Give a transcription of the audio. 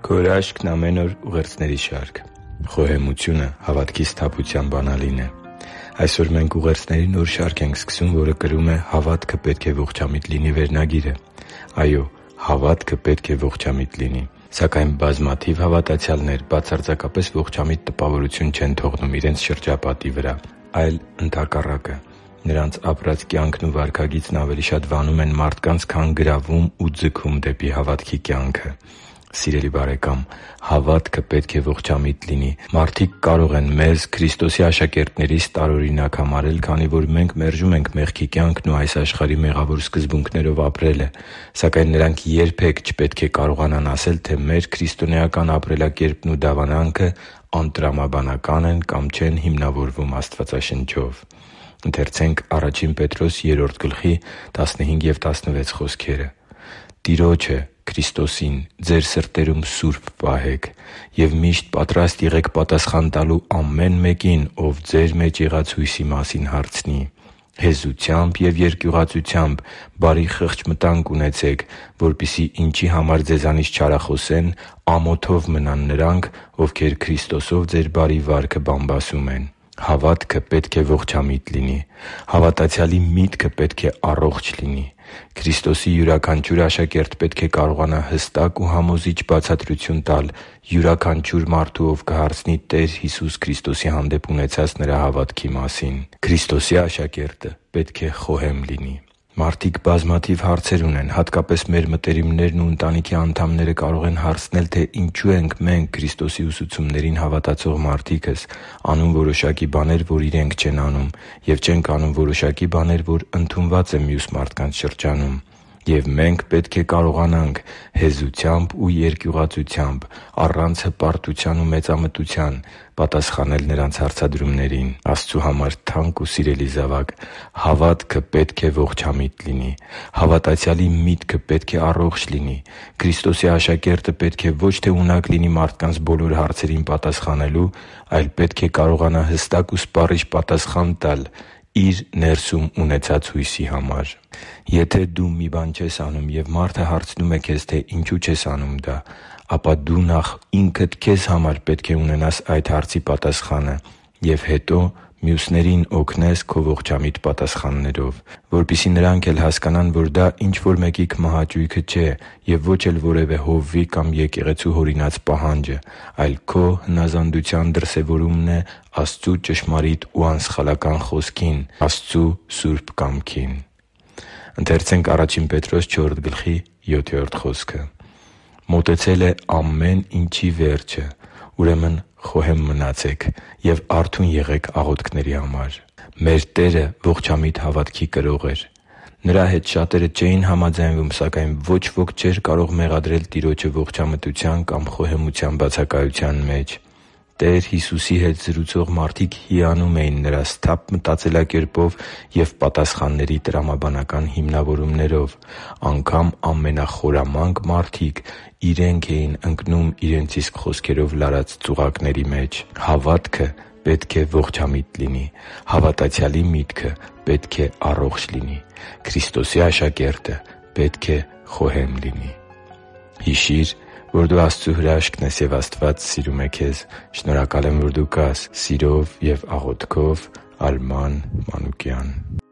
Քո հրաշքն ամեն օր ուղերձների շարք։ Խոհեմությունը հավատքի սթափության բանալին է։ Այսօր մենք ուղերձների նոր շարք ենք սկսում, որը կրում է «Հավատքը պետք է ողջամիտ լինի» վերնագիրը։ Այո, հավատքը պետք է ողջամիտ լինի։ Սակայն բազմաթիվ հավատացյալներ բացարձակապես ողջամիտ տպավորություն չեն թողնում իրենց շրջապատի վրա, այլ ընդհակառակը։ Նրանց ապրած կյանքն ու վարքագիծն ավելի շատ վանում են մարդկանց, քան գրավում ու ձգում դեպի հավատքի կյանքը։ Սիրելի՛ բարեկամ, հավատքը պետք է ողջամիտ լինի։ Մարդիկ կարող են մեզ՝ Քրիստոսի աշակերտներիս, տարօրինակ համարել, քանի որ մենք մերժում ենք մեղքի կյանքն ու այս աշխարհի մեղավոր սկզբունքներով ապրելը։ Սակայն նրանք երբե՛ք չպետք է կարողանան ասել, թե մեր քրիստոնեական ապրելակերպն ու դավանանքը անտրամաբանական են կամ չեն հիմնավորվում Աստվածաշնչով։ «Տիրոջը՝ Քրիստոսին, ձեր սրտերում սուրբ պահեք և միշտ պատրաստ եղեք պատասխան տալու ամեն մեկին, ով ձեր մեջ եղած հույսի մասին հարցնի։ Հեզությամբ և երկյուղածությամբ բարի խղճմտանք ունեցեք, որպեսզի ինչի համար ձեզանից չարախոսեն, ամոթով մնան նրանք, ովքեր Քրիստոսով ձեր բարի վարքը բամբասում են» Հավատքը պետք է ողջամիտ լինի։ Հավատացյալի միտքը պետք է առողջ լինի։ Քրիստոսի յուրաքանչյուր աշակերտ պետք է կարողանա հստակ ու համոզիչ բացատրություն տալ յուրաքանչյուր մարդու, ով կհարցնի Տեր Հիսուս Քրիստոսի հանդեպ ունեցած նրա հավատքի մասին։ Քրիստոսի աշակերտը պետք է խոհեմ լինի։ Մարդիկ բազմաթիվ հարցեր ունեն։ Հատկապես մեր մտերիմներն ու ընտանիքի անդամները կարող են հարցնել, թե ինչու ենք մենք՝ Քրիստոսի ուսուցումներին հավատացող մարդիկս, անում որոշակի բաներ, որ իրենք չեն անում, և չենք անում որոշակի բաներ, որ ընդունված է մյուս մարդկանց շրջանում։ Եվ մենք պետք է կարողանանք հեզությամբ ու երկյուղածությամբ, առանց հպարտության ու մեծամտության պատասխանել նրանց հարցադրումներին։ Աստծու համար թանկ ու սիրելի՛ զավակ, հավատքը պետք է ողջամիտ լինի։ Հավատացյալի միտքը պետք է առողջ լինի։ Քրիստոսի աշակերտը պետք է ոչ թե ունակ լինի մարդկանց բոլոր հարցերին պատասխանելու, այլ պետք է կարողանա հստակ ու սպառիչ պատասխան տալ իր ներսում ունեցած հույսի համար։ Եթե դու մի բան չես անում, և մարդը հարցնում է քեզ, թե ինչու չես անում դա, ապա դու նախ ինքդ քեզ համար պետք է ունենաս այդ հարցի պատասխանը և հետո մյուսներին օգնես քո ողջամիտ պատասխաններով, որպեսզի նրանք էլ հասկանան, որ դա ինչ-որ մեկի քմահաճույքը չէ և ո՛չ էլ որևէ հովվի կամ եկեղեցու հորինած պահանջը, այլ քո հնազանդության դրսևորումն է Աստծու ճշմարիտ ու անսխալական Խոսքին՝ Աստծու սուրբ կամքին։ «Մոտեցել է ամեն ինչի վերջը, ուրեմն խոհե՛մ մնացեք և արթո՛ւն եղեք աղոթքների համար» Մեր Տերը ողջամիտ հավատքի կրող էր։ Նրա հետ շատերը չէին համաձայնվում, սակայն ոչ ոք չէր կարող մեղադրել Տիրոջը ողջամտության կամ խոհեմության բացակայության մեջ։ Տեր Հիսուսի հետ զրուցող մարդիկ հիանում էին Նրա սթափ մտածելակերպով և պատասխանների տրամաբանական հիմնավորումներով։ Անգամ ամենախորամանկ մարդիկ իրենք էին ընկնում իրենց իսկ խոսքերով լարած ծուղակների մեջ։ Հավատքը պետք է ողջամիտ լինի։ Հավատացյալի միտքը պետք է առողջ լինի։ Քրիստոսի աշակերտը պետք է խոհեմ լինի։ Հիշի՛ր, որ դու Աստծո հրաշքն ես, և Աստված սիրում է քեզ։ Շնորհակալ եմ, որ դու կա՛ս։ Սիրով և աղոթքով, Արման Մանուկյան։